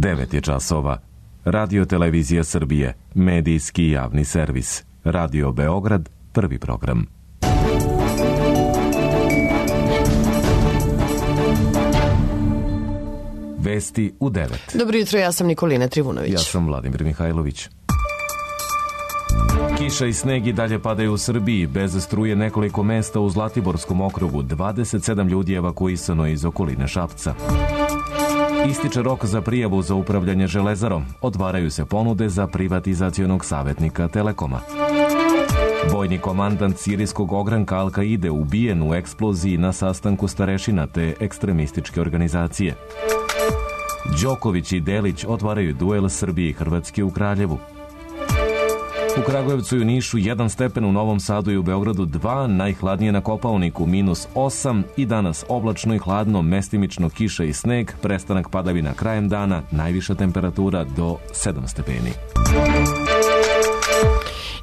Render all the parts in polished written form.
9 je časova. Radio Televizija Srbije, medijski javni servis. Radio Beograd, prvi program. Vesti u 9. Dobro jutro, ja sam Nikolina Trivunović. Ja sam Vladimir Mihajlović. Kiša i sneg i dalje padaju u Srbiji. Bez struje nekoliko mesta u Zlatiborskom okrugu. 27 ljudi je evakuisano iz okoline Šapca. Ističe rok za prijavu za upravljanje železarom. Otvaraju se ponude za privatizacionog savjetnika Telekoma. Vojni komandant sirijskog ogranka Al-Kaide ubijen u eksploziji na sastanku starešina te ekstremističke organizacije. Đoković i Delić otvaraju duel Srbije i Hrvatske u Kraljevu. U Kragujevcu i u Nišu 1 stepen, u Novom Sadu i u Beogradu 2, najhladnije na Kopaoniku -8 i danas oblačno i hladno, mestimično kiša i sneg, prestanak padavina krajem dana, najviša temperatura do 7 stepeni.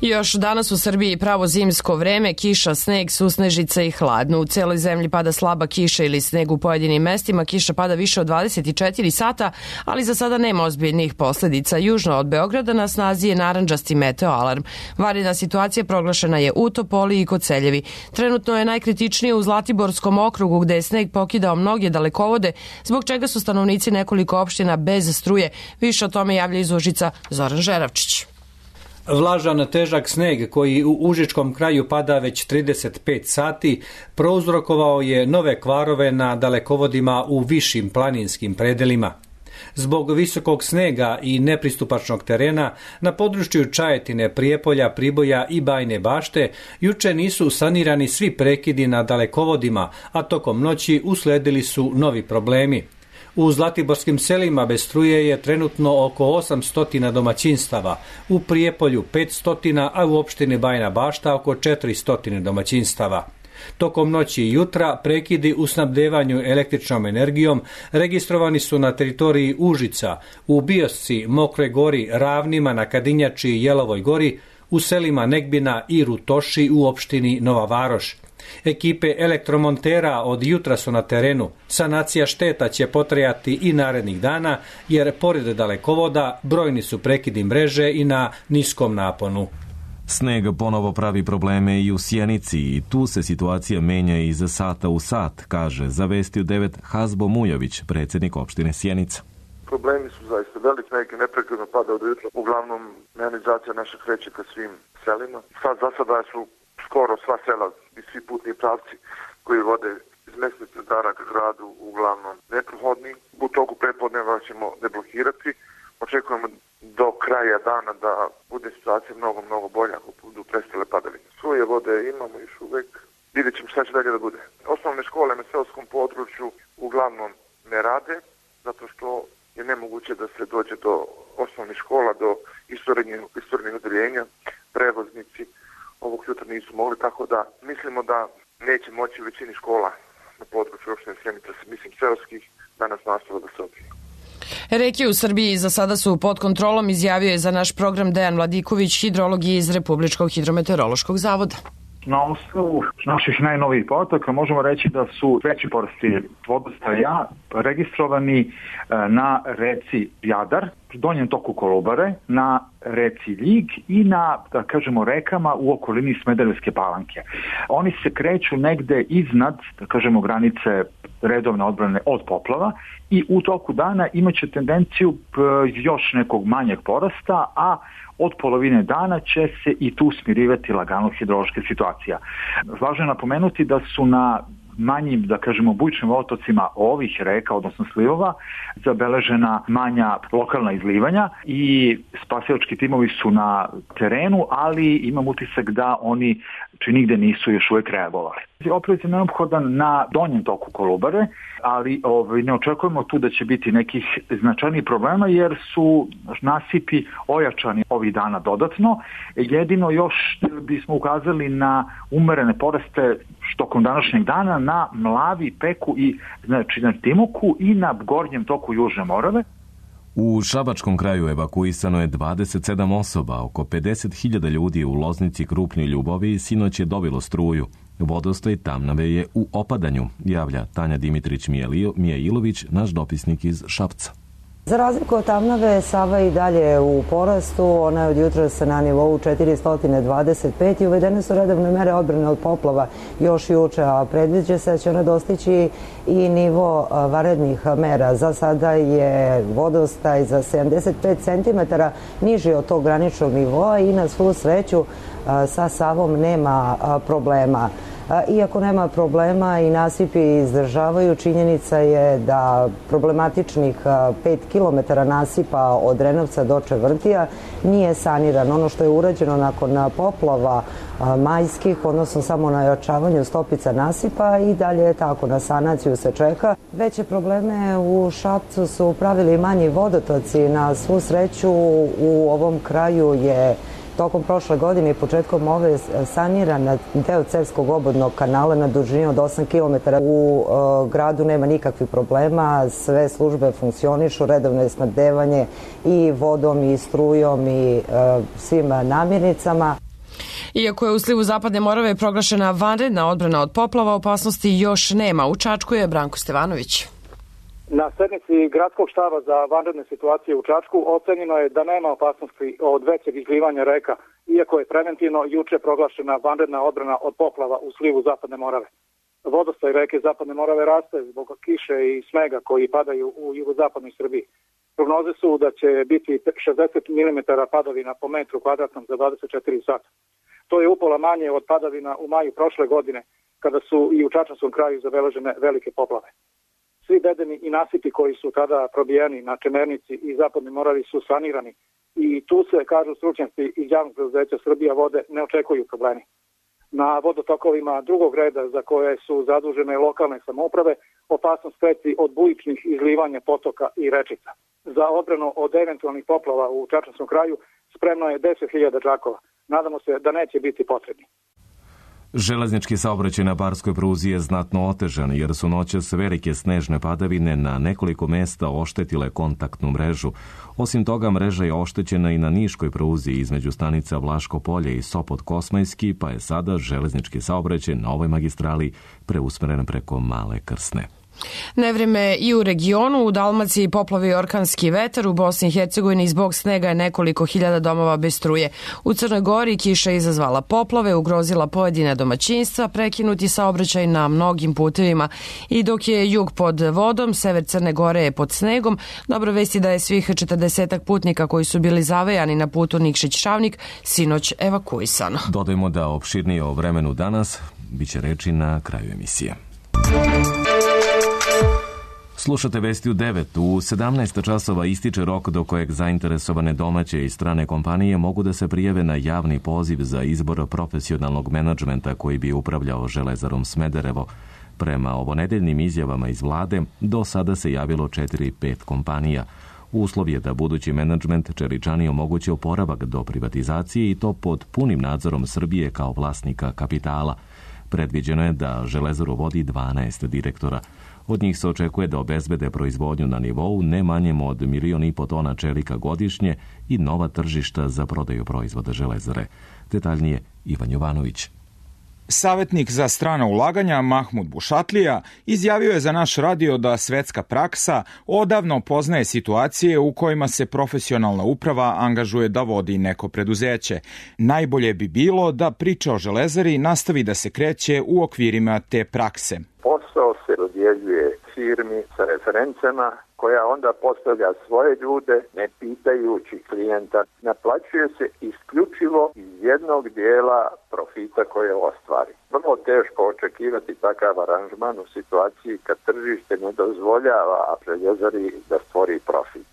Još danas u Srbiji pravo zimsko vreme, kiša, sneg, susnežica i hladno. U celoj zemlji pada slaba kiša ili sneg u pojedinim mestima. Kiša pada više od 24 sata, ali za sada nema ozbiljnih posledica. Južno od Beograda na snazi je narandžasti meteo alarm. Vanredna situacija proglašena je u Topoli i Koceljevi. Trenutno je najkritičnije u Zlatiborskom okrugu gde je sneg pokidao mnoge dalekovode, zbog čega su stanovnici nekoliko opština bez struje. Više o tome javlja iz Užica Zoran Žeravčić. Vlažan težak sneg koji u užičkom kraju pada već 35 sati prouzrokovao je nove kvarove na dalekovodima u višim planinskim predelima. Zbog visokog snega i nepristupačnog terena na području Čajetine, Prijepolja, Priboja i Bajne Bašte juče nisu sanirani svi prekidi na dalekovodima, a tokom noći usledili su novi problemi. U zlatiborskim selima bez struje je trenutno oko 800 domaćinstava, u Prijepolju 500, a u opštini Bajna Bašta oko 400 domaćinstava. Tokom noći i jutra prekidi u snabdevanju električnom energijom registrovani su na teritoriji Užica, u Biosci, Mokroj Gori, Ravnima, na Kadinjači i Jelovoj Gori, u selima Negbina i Rutoši u opštini Nova Varoš. Ekipe elektromontera od jutra su na terenu. Sanacija šteta će potrajati i narednih dana, jer pored dalekovoda brojni su prekidi mreže i na niskom naponu. Sneg ponovo pravi probleme i u Sjenici i tu se situacija menja iz sata u sat, kaže za Vesti u 9 Hazbo Mujović, predsjednik opštine Sjenica. Problemi su zaista veliki, sneg neprekidno pada od jutra. Uglavnom, mehanizacija naša kreće ka svim selima. Sad za sada su skoro sva sela i svi putni pravci koji vode iz mesnih centara ka gradu uglavnom neprohodni. U toku prepodneva ćemo deblokirati. Očekujemo do kraja dana da bude situacija mnogo bolja ako budu prestale padavine. Svoje vode imamo još uvek. Vidjet ćemo šta će dalje da bude. Osnovne škole na seoskom području uglavnom ne rade, zato što je nemoguće da se dođe do osnovnih škola, do istorijnih odeljenja. Prevoznici ovog jutra nisu mogli, tako da mislimo da neće moći u većini škola na području opštine Sjenica, mislim seoskih, danas nastava da se odvije. Reke u Srbiji za sada su pod kontrolom, izjavio je za naš program Dejan Vladiković, hidrolog iz Republičkog hidrometeorološkog zavoda. Na osnovu naših najnovijih podataka možemo reći da su veći porasti vodostaja registrovani na reci Jadar, donjem toku Kolubare, na reci Ljig i na, da kažemo, rekama u okolini Smederevske Palanke. Oni se kreću negde iznad, da kažemo, granice redovne odbrane od poplava i u toku dana imaće tendenciju još nekog manjeg porasta, a od polovine dana će se i tu smirivati lagano hidrološka situacija. Važno je napomenuti da su na manjim, da kažemo, bujičnim otocima ovih reka, odnosno slivova, zabeležena manja lokalna izlivanja i spasilački timovi su na terenu, ali imam utisak da oni nigde nisu još uvijek reagovali. Oprez je neophodan na donjem toku Kolubare, ali ne očekujemo tu da će biti nekih značajnih problema jer su nasipi ojačani ovih dana dodatno. Jedino još bismo ukazali na umerene poraste tokom današnjeg dana na Mlavi, Peku i znači na Timoku i na gornjem toku Južne Morave. U Šabačkom kraju evakuisano je 27 osoba, oko 50.000 ljudi u Loznici, Krupnju i Ljubovi sinoć je dobilo struju. Vodostaj Tamnave je u opadanju, javlja Tanja Dimitrić Mijailović, naš dopisnik iz Šapca. Za razliku od Tamnave, Sava i dalje u porastu, ona je od jutros na nivou 425 i uvedene su redovne mere odbrane od poplava još juče, a predviđa se da će ona dostići i nivo vanrednih mera. Za sada je vodostaj za 75 cm niži od tog graničnog nivoa i na svu sreću sa Savom nema problema. Iako nema problema i nasipi izdržavaju, činjenica je da problematičnih 5 km nasipa od Drenovca do Čevrntija nije saniran. Ono što je urađeno nakon poplava majskih, odnosno samo na ojačavanju stopica nasipa, i dalje je tako, na sanaciju se čeka. Veće probleme u Šapcu su pravili manji vodotoci. Na svu sreću u ovom kraju je tokom prošle godine i početkom ove saniran deo Cerskog obodnog kanala na dužini od 8 km. U gradu nema nikakvih problema, sve službe funkcionišu, redovno je snabdevanje i vodom i strujom i svim namirnicama. Iako je u slivu Zapadne Morave proglašena vanredna odbrana od poplava, opasnosti još nema. U Čačku je Branko Stevanović. Na sednici gradskog štaba za vanredne situacije u Čačku ocenjeno je da nema opasnosti od većeg izlivanja reka, iako je preventivno juče proglašena vanredna odbrana od poplava u slivu Zapadne Morave. Vodostaj reke Zapadne Morave raste zbog kiše i snega koji padaju u jugozapadnoj Srbiji. Prognoze su da će biti 60 mm padavina po metru kvadratnom za 24 sata. To je upola manje od padavina u maju prošle godine, kada su i u Čačanskom kraju zabeležene velike poplave. Svi bedemi i nasipi koji su tada probijeni na Čemernici i Zapadnoj Moravi su sanirani i tu se, kažu stručnjaci iz javnog preduzeća Srbija vode, ne očekuju problemi. Na vodotokovima drugog reda za koje su zadužene lokalne samouprave opasnost preti od bujičnih izlivanja potoka i rečica. Za odbranu od eventualnih poplava u Čačanskom kraju spremno je 10.000 džakova. Nadamo se da neće biti potrebni. Železnički saobraćaj na barskoj pruzi je znatno otežan jer su noćas velike snežne padavine na nekoliko mesta oštetile kontaktnu mrežu. Osim toga, mreža je oštećena i na niškoj pruzi između stanica Vlaško Polje i Sopot Kosmajski, pa je sada železnički saobraćaj na ovoj magistrali preusmeren preko Male Krsne. Nevreme i u regionu, u Dalmaciji poplavi i orkanski vetar, u Bosni i Hercegovini zbog snega je nekoliko hiljada domova bez struje. U Crnoj Gori kiša je izazvala poplave, ugrozila pojedine domaćinstva, prekinuti saobraćaj na mnogim putevima i dok je jug pod vodom, sever Crne Gore je pod snegom. Dobro vesti da je svih 40 putnika koji su bili zavejani na putu Nikšić-Šavnik sinoć evakuisano. Dodajmo da opširnije o vremenu danas biće reči na kraju emisije. Slušate Vesti u 9. U 17 časova ističe rok do kojeg zainteresovane domaće i strane kompanije mogu da se prijave na javni poziv za izbor profesionalnog menadžmenta koji bi upravljao Železarom Smederevo. Prema ovonedeljnim izjavama iz vlade, do sada se javilo 4-5 kompanija. Uslov je da budući menadžment Čeličani omogući oporavak do privatizacije i to pod punim nadzorom Srbije kao vlasnika kapitala. Predviđeno je da Železaru vodi 12 direktora. Od njih se očekuje da obezbede proizvodnju na nivou ne manjem od 1,5 miliona tona čelika godišnje i nova tržišta za prodaju proizvoda Železare. Detaljnije Ivan Jovanović. Savetnik za strana ulaganja Mahmud Bušatlija izjavio je za naš radio da svetska praksa odavno poznaje situacije u kojima se profesionalna uprava angažuje da vodi neko preduzeće. Najbolje bi bilo da priča o Železari nastavi da se kreće u okvirima te prakse. Posao se dodjeljuje firmi sa referencama koja onda postavlja svoje ljude ne pitajući klijenta. Naplaćuje se isključivo iz jednog dijela profita koje ostvari. Vrlo teško očekivati takav aranžman u situaciji kad tržište ne dozvoljava Željezari da stvori profit.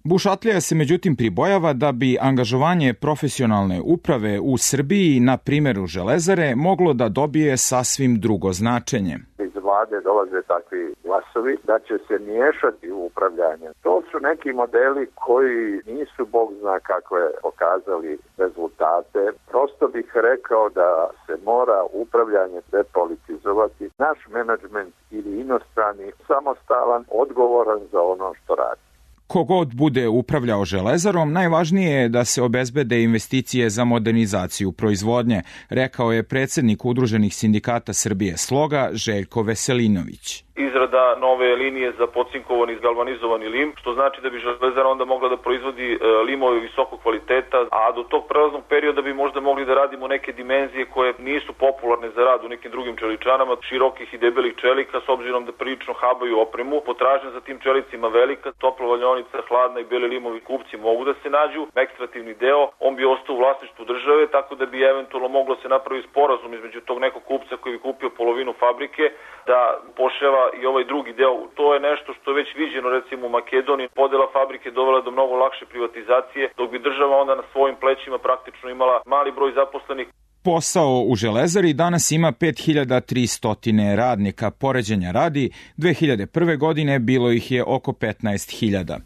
Bušatlija se međutim pribojava da bi angažovanje profesionalne uprave u Srbiji na primjeru Železare moglo da dobije sasvim drugo značenje. Iz vlade dolaze takvi glasovi da će se miješati u upravljanje. To su neki modeli koji nisu bog zna kakve pokazali rezultate. Prosto bih rekao da se mora upravljanje depolitizovati. Naš menadžment ili inostrani samostalan, odgovoran za ono što radi. Kogod bude upravljao Železarom, najvažnije je da se obezbede investicije za modernizaciju proizvodnje, rekao je predsjednik Udruženih sindikata Srbije Sloga Željko Veselinović. izrada nove linije za pocinkovani i galvanizovani lim, što znači da bi železara onda mogla da proizvodi limove visokog kvaliteta, a do tog prelaznog perioda bi možda mogli da radimo neke dimenzije koje nisu popularne za rad u nekim drugim čeličanama, širokih i debelih čelika, s obzirom da prilično habaju opremu. Potražnja za tim čelicima velika, topla valjaonica, hladna i beli limovi kupci mogu da se nađu. Ekstrativni deo, on bi ostao u vlasništvu države, tako da bi eventualno moglo se napraviti sporazum između tog nekog kupca koji bi kupio polovinu fabrike, da poševa i ovaj drugi deo. To je nešto što je već viđeno recimo u Makedoniji. Podela fabrike dovela do mnogo lakše privatizacije, dok bi država onda na svojim plećima praktično imala mali broj zaposlenih. Posao u Železari danas ima 5300 radnika. Poređenja radi, 2001. godine bilo ih je oko 15.000.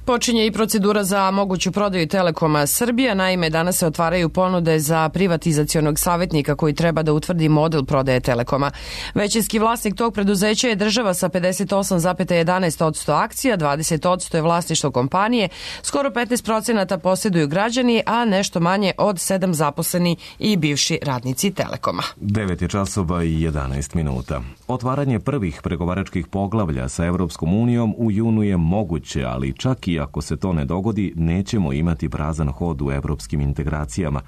Počinje i procedura za moguću prodaju Telekoma Srbija. Naime, danas se otvaraju ponude za privatizacionog savjetnika koji treba da utvrdi model prodaje Telekoma. Većinski vlasnik tog preduzeća je država sa 58,11% akcija, 20% je vlasništvo kompanije, skoro 15% posjeduju građani, a nešto manje od 7 zaposleni i bivši radnici Telekoma. 9 je časova i 11 minuta. Otvaranje prvih pregovaračkih poglavlja sa Evropskom unijom u junu je moguće, ali čak i ako se to ne dogodi, nećemo imati prazan hod u evropskim integracijama,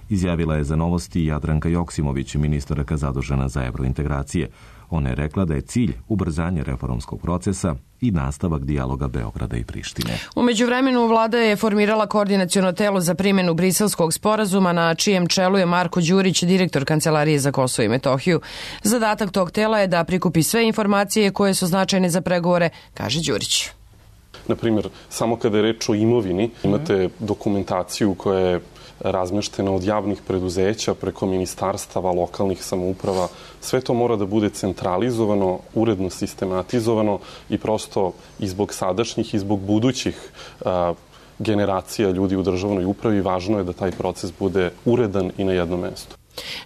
izjavila je za Novosti Jadranka Joksimović, ministarka zadužena za evrointegracije. Ona je rekla da je cilj ubrzanje reformskog procesa i nastavak dijaloga Beograda i Prištine. U međuvremenu vlada je formirala koordinaciono telo za primjenu Briselskog sporazuma, na čijem čelu je Marko Đurić, direktor Kancelarije za Kosovo i Metohiju. Zadatak tog tela je da prikupi sve informacije koje su značajne za pregovore, kaže Đurić. Na primjer, samo kada je reč o imovini, imate dokumentaciju koja je razmeštena od javnih preduzeća preko ministarstava, lokalnih samouprava. Sve to mora da bude centralizovano, uredno sistematizovano i prosto i zbog sadašnjih i zbog budućih generacija ljudi u državnoj upravi važno je da taj proces bude uredan i na jednom mestu.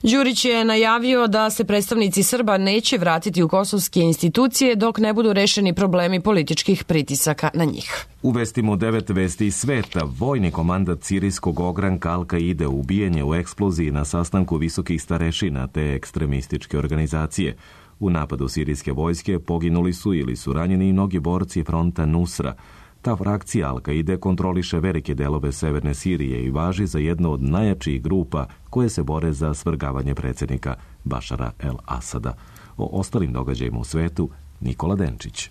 Đurić je najavio da se predstavnici Srba neće vratiti u kosovske institucije dok ne budu rešeni problemi političkih pritisaka na njih. U vestima 9 vesti iz sveta, vojni komandat sirijskog ogranka Al-Kaide ubijen je u eksploziji na sastanku visokih starešina te ekstremističke organizacije. U napadu sirijske vojske poginuli su ili su ranjeni i mnogi borci fronta Nusra. Ta frakcija Al-Kaide kontroliše velike delove severne Sirije i važi za jednu od najjačih grupa koje se bore za svrgavanje predsjednika Bašara el-Asada. O ostalim događajima u svetu, Nikola Denčić.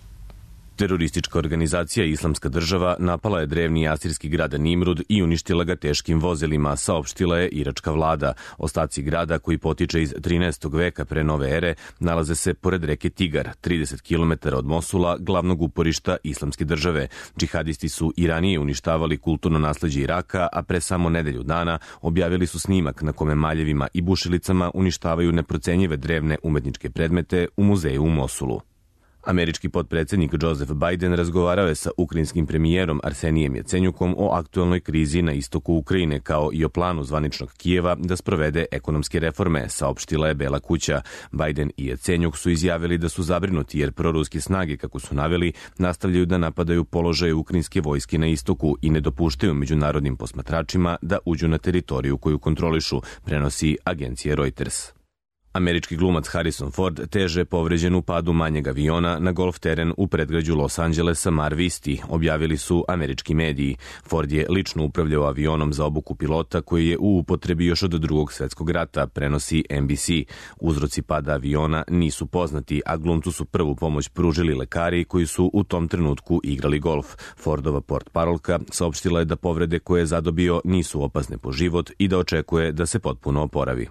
Teroristička organizacija Islamska država napala je drevni asirski grad Nimrud i uništila ga teškim vozilima, saopštila je iračka vlada. Ostaci grada, koji potiče iz 13. veka pre nove ere, nalaze se pored reke Tigar, 30 km od Mosula, glavnog uporišta Islamske države. Džihadisti su i ranije uništavali kulturno nasleđe Iraka, a pre samo nedelju dana objavili su snimak na kome maljevima i bušilicama uništavaju neprocenjive drevne umetničke predmete u muzeju u Mosulu. Američki potpredsjednik Joseph Biden razgovarao je sa ukrajinskim premijerom Arsenijem Jacenjukom o aktuelnoj krizi na istoku Ukrajine, kao i o planu zvaničnog Kijeva da sprovede ekonomske reforme, saopštila je Bela kuća. Biden i Jacenjuk su izjavili da su zabrinuti jer proruske snage, kako su naveli, nastavljaju da napadaju položaje ukrajinske vojske na istoku i ne dopuštaju međunarodnim posmatračima da uđu na teritoriju koju kontrolišu, prenosi agencija Reuters. Američki glumac Harrison Ford teže povređen u padu manjeg aviona na golf teren u predgrađu Los Angelesa Mar Visti, objavili su američki mediji. Ford je lično upravljao avionom za obuku pilota koji je u upotrebi još od Drugog svjetskog rata, prenosi NBC. Uzroci pada aviona nisu poznati, a glumcu su prvu pomoć pružili lekari koji su u tom trenutku igrali golf. Fordova portparolka saopštila je da povrede koje je zadobio nisu opasne po život i da očekuje da se potpuno oporavi.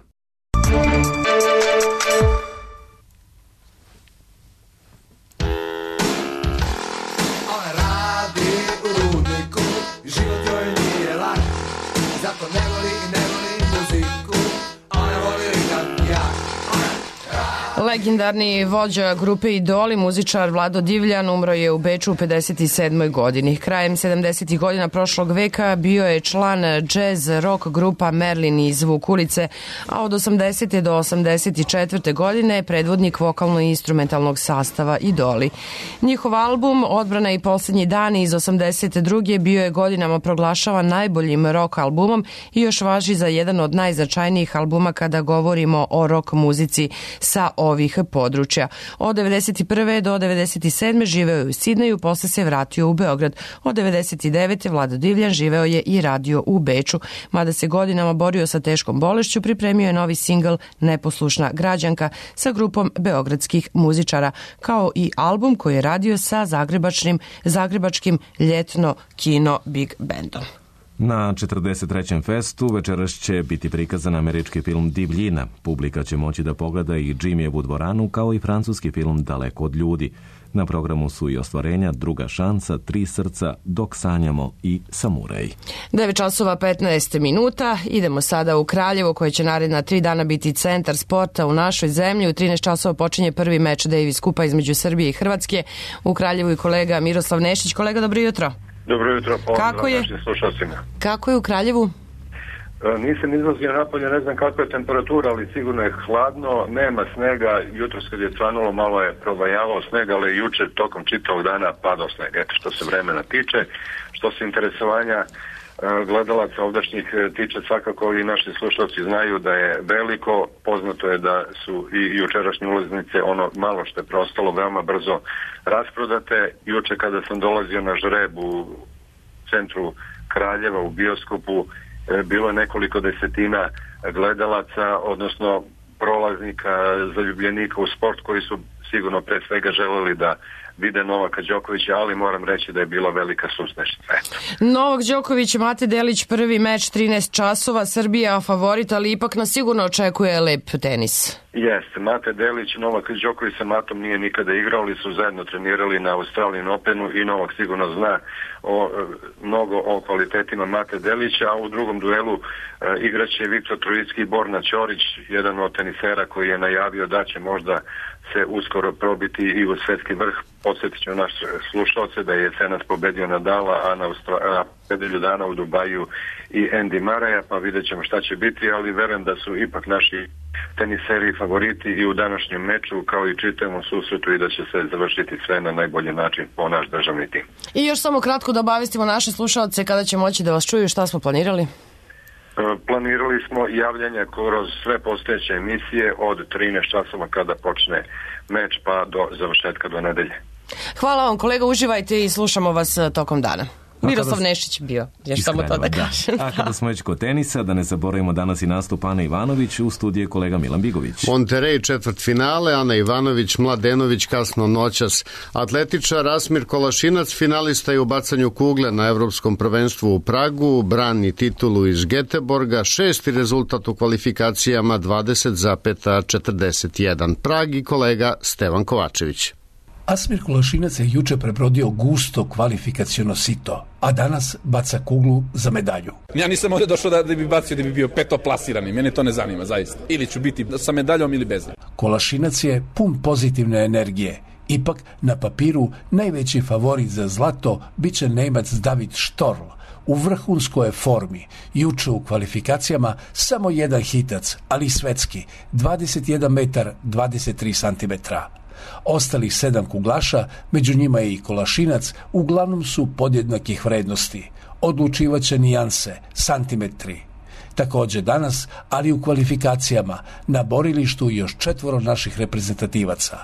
Legendarni vođa grupe Idoli, muzičar Vlado Divljan, umro je u Beču u 57. godini. Krajem 70. godina prošlog veka bio je član jazz rock grupa Merlin iz Vukulice, a od 80. do 84. godine predvodnik vokalno-instrumentalnog sastava Idoli. Njihov album Odbrana i posljednji dani iz 82. bio je godinama proglašavan najboljim rock albumom i još važi za jedan od najznačajnijih albuma kada govorimo o rock muzici sa ovim ovih područja. Od 1991. do 1997. živeo je u Sidneju, posle se vratio u Beograd. Od 1999. Vlado Divljan živeo je i radio u Beču. Mada se godinama borio sa teškom bolešću, pripremio je novi singl Neposlušna građanka sa grupom beogradskih muzičara, kao i album koji je radio sa zagrebačkim ljetno kino Big Bandom. Na 43. festu večeras će biti prikazan američki film Divljina. Publika će moći da pogleda i Jimmyevu dvoranu, kao i francuski film Daleko od ljudi. Na programu su i ostvarenja Druga šansa, Tri srca, Dok sanjamo i Samuraj. 9 časova 15 minuta. Idemo sada u Kraljevo, koje će naredna 3 dana biti centar sporta u našoj zemlji. U 13 časova počinje prvi meč Davis Kupa između Srbije i Hrvatske. U Kraljevu i kolega Miroslav Nešić. Kolega, dobro jutro. Dobro jutro, kako je? Kako je u Kraljevu? Nisam izlazio napolje, ne znam kakva je temperatura, ali sigurno je hladno, nema snega, jutros kad je cvanulo malo je probajavao snega, ali juče tokom čitavog dana padao sneg, eto što se vremena tiče. Što se interesovanja gledalaca ovdašnjih tiče, svakako i naši slušalci znaju da je veliko, poznato je da su i jučerašnje ulaznice, ono malo što je preostalo, veoma brzo rasprodate. Juče kada sam dolazio na žreb u centru Kraljeva u bioskopu, bilo je nekoliko desetina gledalaca, odnosno prolaznika, zaljubljenika u sport, koji su sigurno pre svega želeli da vide Novaka Đokovića, ali moram reći da je bila velika susnešica. Novak Đoković, Mate Delić, prvi meč 13 časova, Srbija favorit, ali ipak nas sigurno očekuje lep tenis. Jeste, Mate Delić, Novak Đoković sa Matom nije nikada igrao, ali su zajedno trenirali na Australian Openu i Novak sigurno zna mnogo o kvalitetima Mate Delića, a u drugom duelu igraće Viktor Trojicki i Borna Ćorić, jedan od tenisera koji je najavio da će možda se uskoro probiti i u svetski vrh. Podsjetit ću naš slušalce da je jesenas pobedio Nadala, a na nedelju dana u Dubaju i Andy Murraya, pa vidjet ćemo šta će biti, ali verujem da su ipak naši teniseri favoriti i u današnjem meču, kao i čitavom susretu, i da će se završiti sve na najbolji način po naš državni tim. I još samo kratko da obavestimo naše slušalce kada će moći da vas čuju, šta smo planirali? Planirali smo javljanja kroz sve postojeće emisije od 13 časova kada počne meč pa do završetka do nedelje. Hvala vam kolega, uživajte i slušamo vas tokom dana. Miroslav Nešić bio, još samo to da kažem. A kada smo već kod tenisa, da ne zaboravimo danas i nastup Ane Ivanović, u studiju kolega Milan Bigović. Monterey četvrtfinale, Ana Ivanović, Mladenović kasno noćas. Atletičar Asmir Kolašinac, finalista je u bacanju kugle na Evropskom prvenstvu u Pragu, brani titulu iz Geteborga, 6. rezultat u kvalifikacijama 20,41. Prag i kolega Stevan Kovačević. Asmir Kolašinac je juče prebrodio gusto kvalifikaciono sito, a danas baca kuglu za medalju. Ja nisam ovdje došao da bi bacio da bi bio petoplasirani, mene to ne zanima zaista. Ili ću biti sa medaljom ili bez. Kolašinac je pun pozitivne energije. Ipak na papiru najveći favorit za zlato biće Nemac David Storl. U vrhunskoj je formi, juče u kvalifikacijama samo jedan hitac, ali svetski, 21 metar 23 centimetra. Ostalih 7 kuglaša, među njima je i Kolašinac, uglavnom su podjednakih vrednosti. Odlučivaće nijanse, santimetri. Također danas, ali u kvalifikacijama, na borilištu još 4 naših reprezentativaca.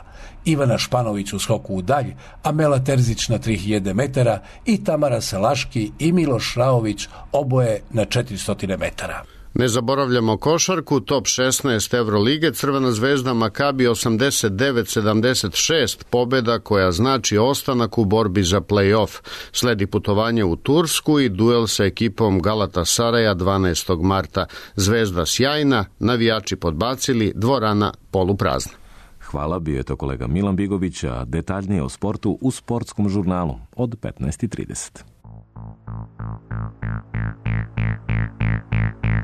Ivana Španović u skoku u dalj, Amela Terzić na 3000 metara i Tamara Salaški i Miloš Raović oboje na 400 metara. Ne zaboravljamo košarku, top 16 Evrolige, Crvena zvezda Makabi 89-76, pobjeda koja znači ostanak u borbi za play-off. Sledi putovanje u Tursku i duel sa ekipom Galatasaraja 12. marta. Zvezda sjajna, navijači podbacili, dvorana poluprazna. Hvala, bio je to kolega Milan Bigović, a detaljnije o sportu u sportskom žurnalu od 15:30.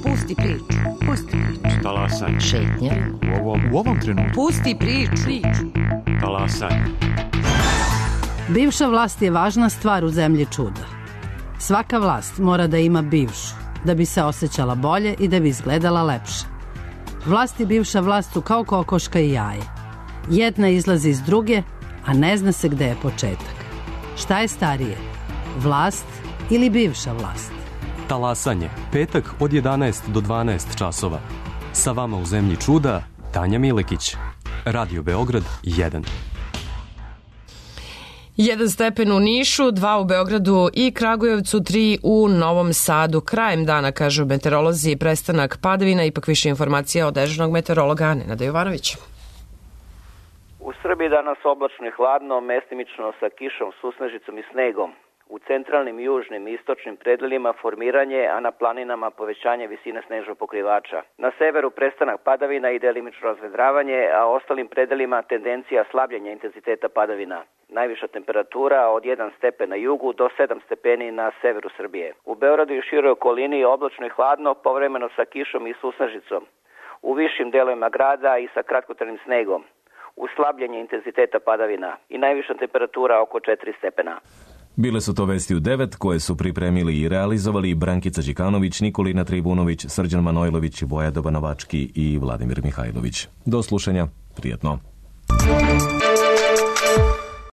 Pusti priču. Talasaj. Šetnja. U ovom trenutku. Pusti priču. Talasaj. Bivša vlast je važna stvar u zemlji čuda. Svaka vlast mora da ima bivšu, da bi se osjećala bolje i da bi izgledala lepše. Vlast i bivša vlast su kao kokoška i jaje. Jedna izlazi iz druge, a ne zna se gde je početak. Šta je starije? Vlast ili bivša vlast? Talasanje, petak od 11 do 12 časova. Sa vama u zemlji čuda, Tanja Milekić. Radio Beograd 1. 1 stepen u Nišu, 2 u Beogradu i Kragujevcu, 3 u Novom Sadu. Krajem dana, kažu meteorolozi, prestanak padavina, ipak više informacija od dežurnog meteorologa Nenada Jovanovića. U Srbiji danas oblačno i hladno, mestimično sa kišom, susnežicom i snegom. U centralnim, južnim i istočnim predelima formiranje, a na planinama povećanje visine snežnog pokrivača. Na severu prestanak padavina i delimično razvedravanje, a ostalim predelima tendencija slabljenja intenziteta padavina. Najviša temperatura od 1 stepen na jugu do 7 stepeni na severu Srbije. U Beogradu i široj okolini oblačno i hladno, povremeno sa kišom i susnežicom. U višim delovima grada i sa kratkotrajnim snegom. Uslabljenje intenziteta padavina i najviša temperatura oko 4 stepena. Bile su to vesti u 9 koje su pripremili i realizovali Brankica Đikanović, Nikolina Tribunović, Srđan Manojlović, Boja Dobanovački i Vladimir Mihajlović. Do slušanja, prijatno.